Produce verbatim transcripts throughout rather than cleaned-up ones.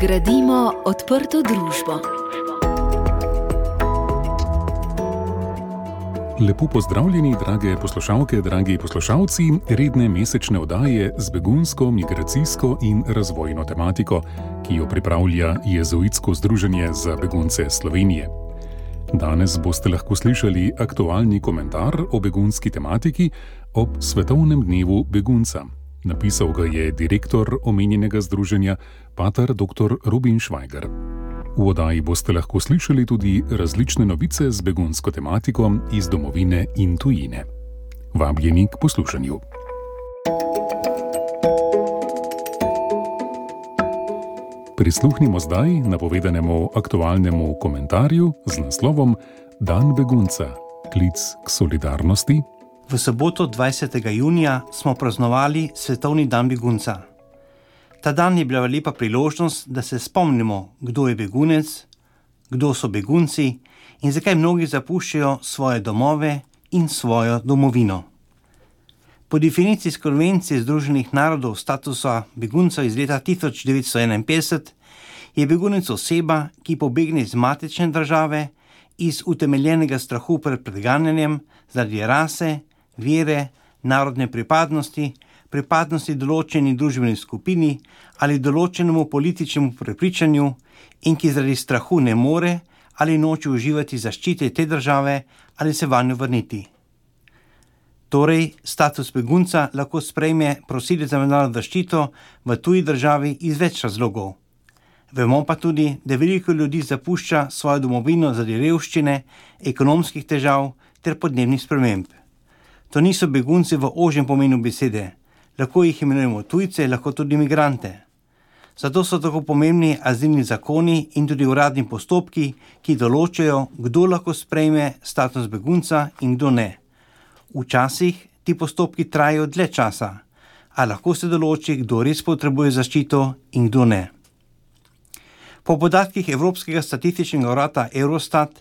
Gradimo odprto družbo. Lepo pozdravljeni, drage poslušalke, dragi poslušalci, redne mesečne oddaje z begunsko, migracijsko in razvojno tematiko, ki jo pripravlja Jezuitsko združenje za begunce Slovenije. Danes boste lahko slišali aktualni komentar o begunski tematiki ob Svetovnem dnevu begunca. Napisal ga je direktor omenjenega združenja, pater doktor Robin Švajger. V oddaji boste lahko slišali tudi različne novice z begunsko tematiko iz domovine in tujine. Vabljeni k poslušanju. Prisluhnimo zdaj napovedanemu aktualnemu komentarju z naslovom Dan begunca, klic k solidarnosti. V soboto dvajsetega junija smo praznovali Svetovni dan begunca. Ta dan je bila lepa priložnost, da se spomnimo, kdo je begunec, kdo so begunci in zakaj mnogi zapuščajo svoje domove in svojo domovino. Po definiciji Konvencije Združenih narodov statusa begunca iz leta tisoč devetsto enainpetdeset je begunec oseba, ki pobegne iz matične države iz utemeljenega strahu pred preganjanjem zaradi rase, vere, narodne pripadnosti, pripadnosti določeni družbeni skupini ali določenemu političnemu prepričanju in ki zaradi strahu ne more ali noče uživati zaščite te države ali se vanjo vrniti. Torej, status begunca lahko sprejme prosilec za mednarodno zaščito v tuji državi iz več razlogov. Vemo pa tudi, da veliko ljudi zapušča svojo domovino zaradi revščine, ekonomskih težav ter podnebnih sprememb. To niso begunci v ožjem pomenu besede. Lahko jih imenujemo tujce, lahko tudi migrante. Zato so tako pomembni azilni zakoni in tudi uradni postopki, ki določajo, kdo lahko sprejme status begunca in kdo ne. Včasih ti postopki trajajo dlje časa, a lahko se določi, kdo res potrebuje zaščito in kdo ne. Po podatkih Evropskega statističnega urada Eurostat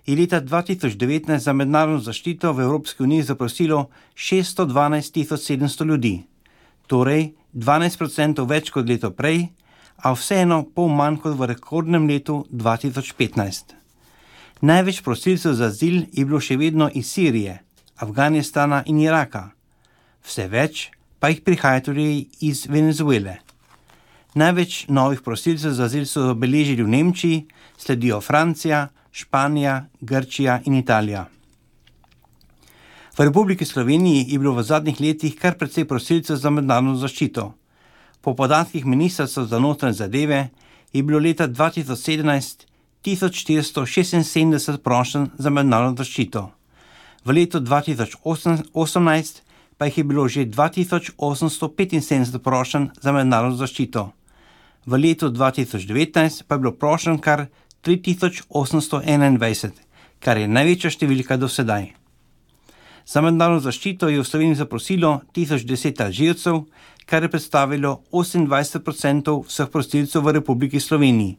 je leta dva tisoč devetnajst za mednarodno zaščito v Evropski uniji zaprosilo šeststo dvanajst tisoč sedemsto ljudi, torej dvanajst procentov več kot leto prej, a vseeno pol manj kot v rekordnem letu dva tisoč petnajst. Največ prosilcev za azil je bilo še vedno iz Sirije, Afganistana in Iraka. Vse več pa jih prihaja tudi iz Venezuele. Največ novih prosilcev za azil so zabeležili v Nemčiji, sledijo Francija, Španija, Grčija in Italija. V Republiki Sloveniji je bilo v zadnjih letih kar precej prosilcev za mednarodno zaščito. Po podatkih Ministrstva za notranje zadeve je bilo leta dva tisoč sedemnajst tisoč štiristo šestinsedemdeset prošenj za mednarodno zaščito. V letu dva tisoč osemnajst pa jih je bilo že dva tisoč osemsto petinsedemdeset prošenj za mednarodno zaščito. V letu dva tisoč devetnajst pa je bilo prošenj kar tri tisoč osemsto enaindvajset, kar je največja številka do sedaj. Za mednarodno zaščito je v Sloveniji zaprosilo tisoč deset Alžircev, kar je predstavilo osemindvajset procentov vseh prosilcev v Republiki Sloveniji.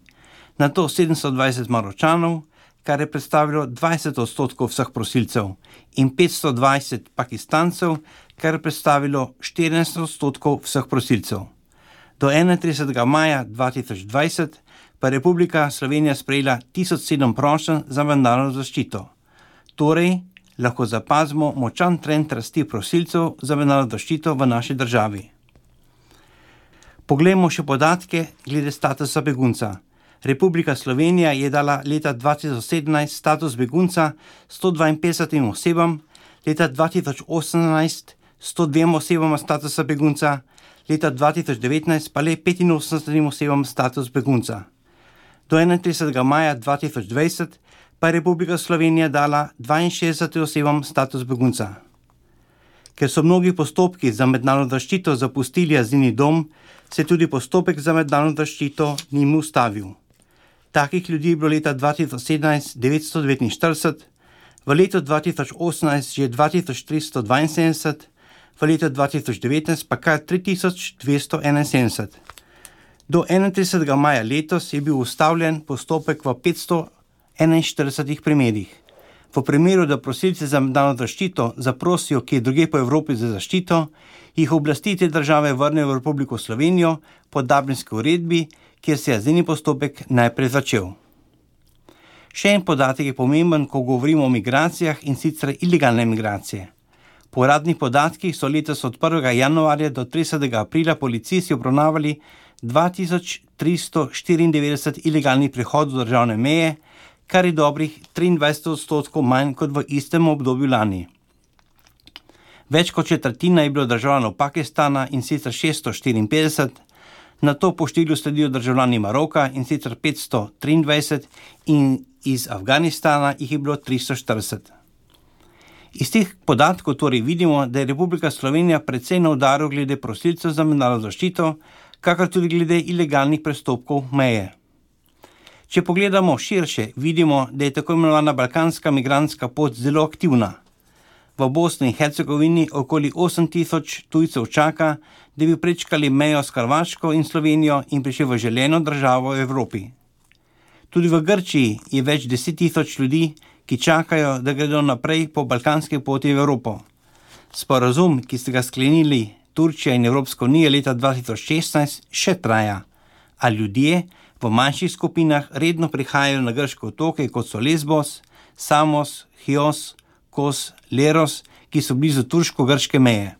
Nato sedemsto dvajset Maročanov, kar je predstavilo dvajset odstotkov vseh prosilcev, in petsto dvajset Pakistancev, kar je predstavilo štirinajst odstotkov vseh prosilcev. Do enaintridesetega maja dva tisoč dvajset pa je Republika Slovenija sprejela tisoč sedem prošenj za mednarodno zaščito. Torej, lahko zapazimo močan trend rasti prosilcev za mednarodno zaščito v naši državi. Poglejmo še podatke glede statusa begunca. Republika Slovenija je dala leta dva tisoč sedemnajst status begunca sto dvainpetdesetim osebam, leta dva tisoč osemnajst sto dvema osebama statusa begunca, leta dva tisoč devetnajst pa le petinosemdesetim osebam status begunca. Do enaintridesetega maja dva tisoč dvajset pa je Republika Slovenija dala dvainšestdesetim osebam status begunca. Ker so mnogi postopki za mednarodno zaščito zapustili azilni dom, se tudi postopek za mednarodno zaščito njim ustavil. Takih ljudi je bilo leta dva tisoč sedemnajst devetsto devetinštirideset, v letu dva tisoč osemnajst že dva tisoč tristo dvainsedemdeset, v letu dva tisoč devetnajst pa kar tri tisoč dvesto enainsedemdeset. Do enaintridesetega maja letos je bil ustavljen postopek v petsto enainštiridesetih primerih. V primeru, da prosilci za mednarodno zaščito zaprosijo kje drugje po Evropi za zaščito, jih oblasti te države vrnejo v Republiko Slovenijo po Dublinski uredbi, kjer se je azilni postopek najprej začel. Še en podatek je pomemben, ko govorimo o migracijah, in sicer ilegalne migracije. Po uradnih podatkih so letos od prvega januarja do tridesetega aprila policisti obravnavali dva tisoč tristo štiriindevetdeset ilegalnih prehodov državne meje, kar je dobrih triindvajset odstotkov manj kot v istem obdobju lani. Več kot četrtina je bilo državljanov Pakistana, in sicer šeststo štiriinpetdeset, nato po številu sledijo državljani Maroka, in sicer petsto triindvajset, in iz Afganistana jih je bilo tristo štirideset. Iz teh podatkov torej vidimo, da je Republika Slovenija precej na udaru glede prosilcev za mednarodno zaščito, kakor tudi glede ilegalnih prestopkov meje. Če pogledamo širše, vidimo, da je tako imenovana balkanska migrantska pot zelo aktivna. V Bosni in Hercegovini okoli osem tisoč tujcev čaka, da bi prečkali mejo s Hrvaško in Slovenijo in prišli v želeno državo v Evropi. Tudi v Grčiji je več deset tisoč ljudi, ki čakajo, da gredo naprej po balkanski poti v Evropo. Sporazum, ki ste ga sklenili Turčija in Evropska unija leta dva tisoč šestnajst, še traja, a ljudje v manjših skupinah redno prihajajo na grške otoke, kot so Lesbos, Samos, Chios, Kos, Leros, ki so blizu turško-grške meje.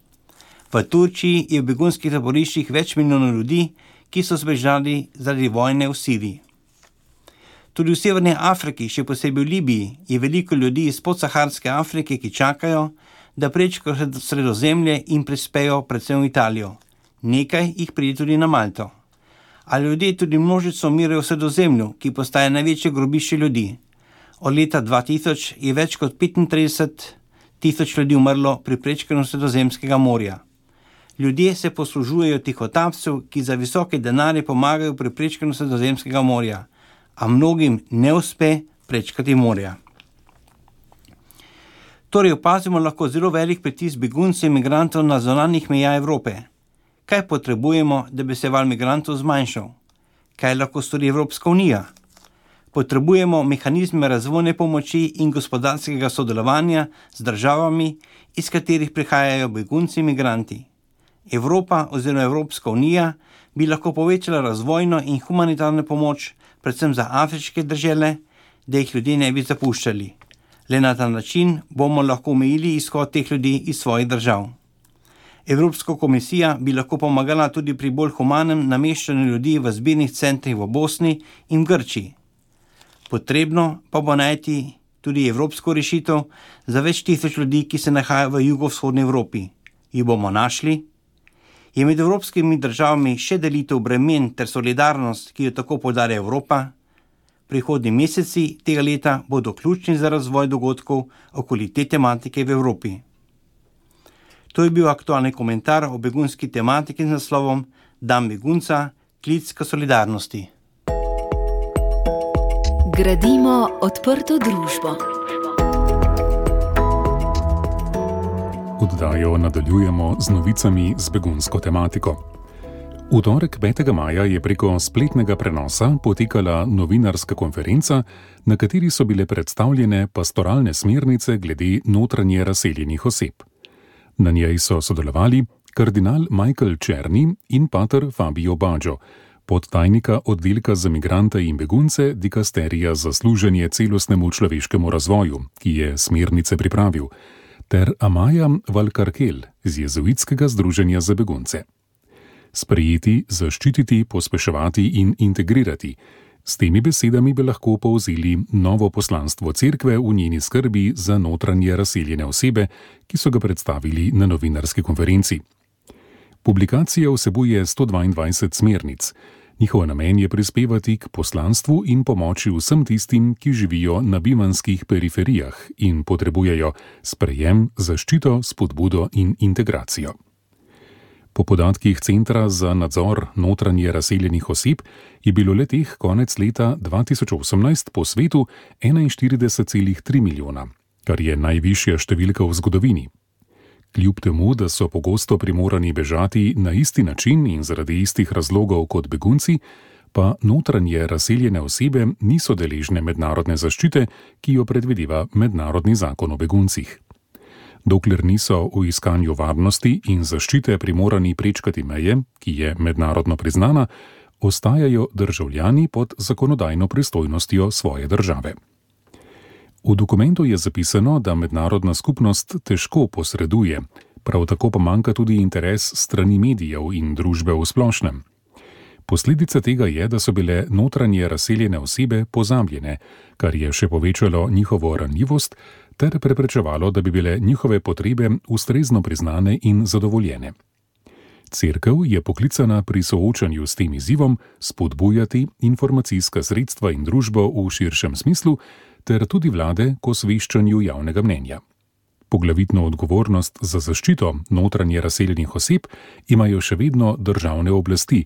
V Turčiji je v begunskih taboriščih več milijonov ljudi, ki so zbežali zaradi vojne v Siriji. Tudi v Severni Afriki, še posebej v Libiji, je veliko ljudi iz podsaharske Afrike, ki čakajo, da prečkajo Sredozemlje in prispejo predvsem v Italijo. Nekaj jih pride tudi na Malto. A ljudje tudi množico umirajo v Sredozemlju, ki postaje največje grobišče ljudi. Od leta dva tisoč je več kot petintrideset tisoč ljudi umrlo pri prečkanju Sredozemskega morja. Ljudje se poslužujejo tihotapcev, ki za visoke denarje pomagajo pri prečkanju Sredozemskega morja, a mnogim ne uspe prečkati morja. Torej opazimo lahko zelo velik pritisk beguncev in migrantov na zunanjih mejah Evrope. Kaj potrebujemo, da bi se val migrantov zmanjšal? Kaj lahko stori Evropska unija? Potrebujemo mehanizme razvojne pomoči in gospodarskega sodelovanja z državami, iz katerih prihajajo begunci in migranti. Evropa oziroma Evropska unija bi lahko povečala razvojno in humanitarno pomoč, predvsem za afriške države, da jih ljudje ne bi zapuščali. Le na ta način bomo lahko omejili izhod teh ljudi iz svojih držav. Evropska komisija bi lahko pomagala tudi pri bolj humanem nameščanju ljudi v zbirnih centrih v Bosni in Grčiji. Potrebno pa bo najti tudi evropsko rešitev za več tisoč ljudi, ki se nahajajo v jugovzhodni Evropi. Jih bomo našli? Je med evropskimi državami še delitev bremen ter solidarnost, ki jo tako poudarja Evropa? Prihodnji meseci tega leta bodo ključni za razvoj dogodkov okoli te tematike v Evropi. To je bil aktualni komentar o begunski tematiki z naslovom Dan begunca, klic k solidarnosti. Gradimo odprto družbo. Oddajo nadaljujemo z novicami z begunsko tematiko. V torek petega maja je preko spletnega prenosa potekala novinarska konferenca, na kateri so bile predstavljene pastoralne smernice glede notranje razseljenih oseb. Na njej so sodelovali kardinal Michael Černi in pater Fabio Baggio, podtajnika oddelka za migrante in begunce dikasterija za služenje celostnemu človeškemu razvoju, ki je smernice pripravil, ter Amaja Valkarkel z Jezuitskega združenja za begunce. Sprejeti, zaščititi, pospeševati in integrirati. S temi besedami bi lahko povzeli novo poslanstvo cerkve v njeni skrbi za notranje razseljene osebe, ki so ga predstavili na novinarski konferenci. Publikacija vsebuje sto dvaindvajset smernic. Njihov namen je prispevati k poslanstvu in pomoči vsem tistim, ki živijo na bivanskih periferijah in potrebujejo sprejem, zaščito, spodbudo in integracijo. Po podatkih Centra za nadzor notranje razseljenih oseb je bilo le-teh konec leta dva tisoč osemnajst po svetu enainštirideset celih tri milijona, kar je najvišja številka v zgodovini. Kljub temu, da so pogosto primorani bežati na isti način in zaradi istih razlogov kot begunci, pa notranje razseljene osebe niso deležne mednarodne zaščite, ki jo predvideva mednarodni zakon o beguncih. Dokler niso v iskanju varnosti in zaščite primorani prečkati meje, ki je mednarodno priznana, ostajajo državljani pod zakonodajno pristojnostjo svoje države. V dokumentu je zapisano, da mednarodna skupnost težko posreduje, prav tako pa manjka tudi interes strani medijev in družbe v splošnem. Posledica tega je, da so bile notranje razseljene osebe pozabljene, kar je še povečalo njihovo ranljivost ter preprečevalo, da bi bile njihove potrebe ustrezno priznane in zadovoljene. Cerkev je poklicana pri soočanju s tem izzivom spodbujati informacijska sredstva in družbo v širšem smislu ter tudi vlade k osveščanju javnega mnenja. Poglavitno odgovornost za zaščito notranje razseljenih oseb imajo še vedno državne oblasti,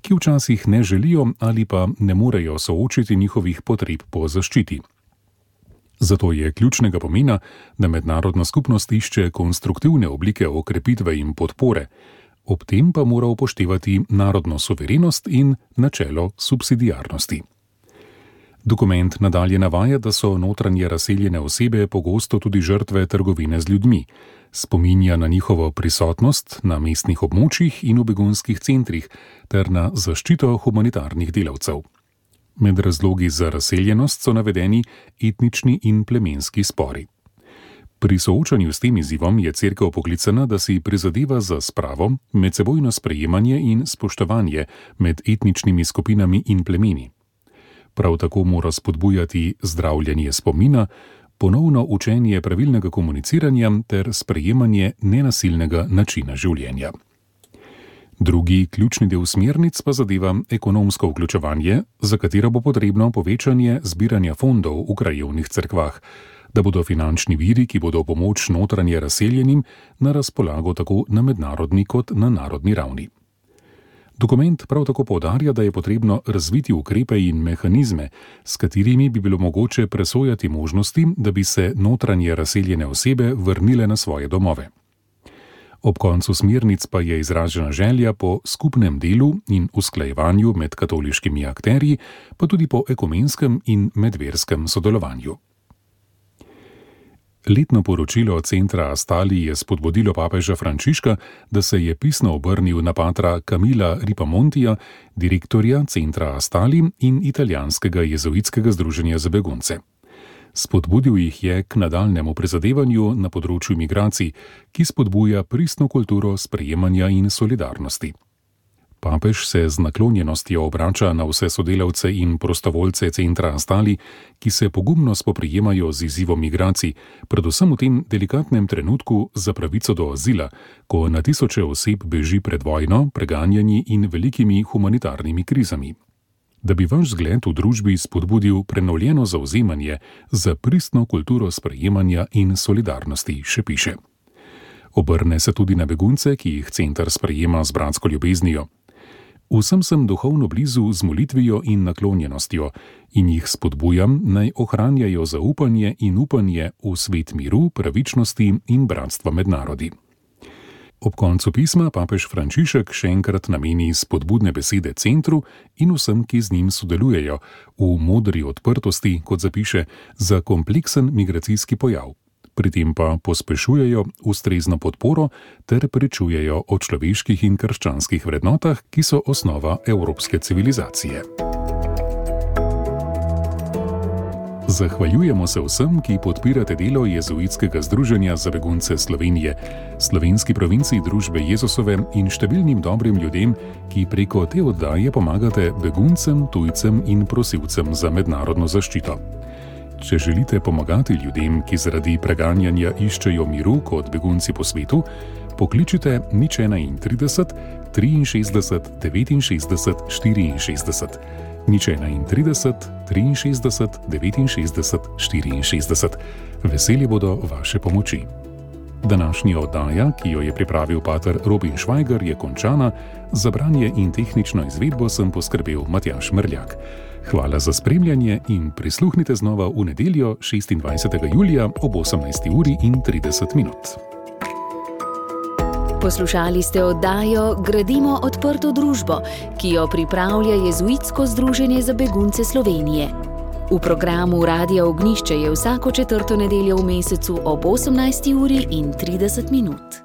ki včasih ne želijo ali pa ne morejo soočiti njihovih potreb po zaščiti. Zato je ključnega pomena, da mednarodna skupnost išče konstruktivne oblike okrepitve in podpore, ob tem pa mora upoštevati narodno suverenost in načelo subsidiarnosti. Dokument nadalje navaja, da so notranje razseljene osebe pogosto tudi žrtve trgovine z ljudmi, spominja na njihovo prisotnost na mestnih območjih in v begunskih centrih ter na zaščito humanitarnih delavcev. Med razlogi za razseljenost so navedeni etnični in plemenski spori. Pri soočanju s tem izzivom je cerkev poklicana, da si prizadeva za spravo, medsebojno sprejemanje in spoštovanje med etničnimi skupinami in plemeni. Prav tako mora spodbujati zdravljenje spomina, ponovno učenje pravilnega komuniciranja ter sprejemanje nenasilnega načina življenja. Drugi ključni del smernic pa zadeva ekonomsko vključevanje, za katero bo potrebno povečanje zbiranja fondov v krajevnih cerkvah, da bodo finančni viri, ki bodo pomoč notranje razseljenim, na razpolago tako na mednarodni kot na narodni ravni. Dokument prav tako poudarja, da je potrebno razviti ukrepe in mehanizme, s katerimi bi bilo mogoče presojati možnosti, da bi se notranje razseljene osebe vrnile na svoje domove. Ob koncu smernic pa je izražena želja po skupnem delu in usklajevanju med katoliškimi akterji, pa tudi po ekumenskem in medverskem sodelovanju. Letno poročilo centra Astali je spodbudilo papeža Frančiška, da se je pisno obrnil na patra Camilla Ripamontija, direktorja centra Astali in italijanskega jezuitskega združenja za begunce. Spodbudil jih je k nadaljnemu prizadevanju na področju migracij, ki spodbuja pristno kulturo sprejemanja in solidarnosti. Papež se z naklonjenostjo obrača na vse sodelavce in prostovoljce centra Astali, ki se pogumno spoprijemajo z izzivom migracij, predvsem v tem delikatnem trenutku za pravico do azila, ko na tisoče oseb beži pred vojno, preganjanji in velikimi humanitarnimi krizami. Da bi vaš zgled v družbi spodbudil prenovljeno zavzemanje za pristno kulturo sprejemanja in solidarnosti, še piše. Obrne se tudi na begunce, ki jih center sprejema z bratsko ljubeznijo. Vsem sem duhovno blizu z molitvijo in naklonjenostjo in jih spodbujam, naj ohranjajo zaupanje in upanje v svet miru, pravičnosti in bratstva med narodi. Ob koncu pisma papež Frančišek še enkrat nameni spodbudne besede centru in vsem, ki z njim sodelujejo, v modri odprtosti, kot zapiše, za kompleksen migracijski pojav. Pri tem pa pospešujejo ustrezno podporo ter pričujejo o človeških in krščanskih vrednotah, ki so osnova evropske civilizacije. Zahvaljujemo se vsem, ki podpirate delo Jezuitskega združenja za begunce Slovenije, slovenski provinciji družbe Jezusove in številnim dobrim ljudem, ki preko te oddaje pomagate beguncem, tujcem in prosilcem za mednarodno zaščito. Če želite pomagati ljudem, ki zaradi preganjanja iščejo miru kot begunci po svetu, pokličite nič trideset, triinšestdeset, devetinšestdeset, štiriinšestdeset, nič trideset, triinšestdeset, devetinšestdeset, štiriinšestdeset. Veseli bodo vaše pomoči. Današnja oddaja, ki jo je pripravil pater Robin Švajger, je končana, za branje in tehnično izvedbo sem poskrbel Matjaž Mrljak. Hvala za spremljanje in prisluhnite znova v nedeljo šestindvajsetega julija ob osemnajsti uri in trideset minut. Poslušali ste oddajo Gradimo odprto družbo, ki jo pripravlja Jezuitsko združenje za begunce Slovenije. V programu Radia Ognjišče je vsako četrto nedeljo v mesecu ob osemnajsti uri in trideset minut.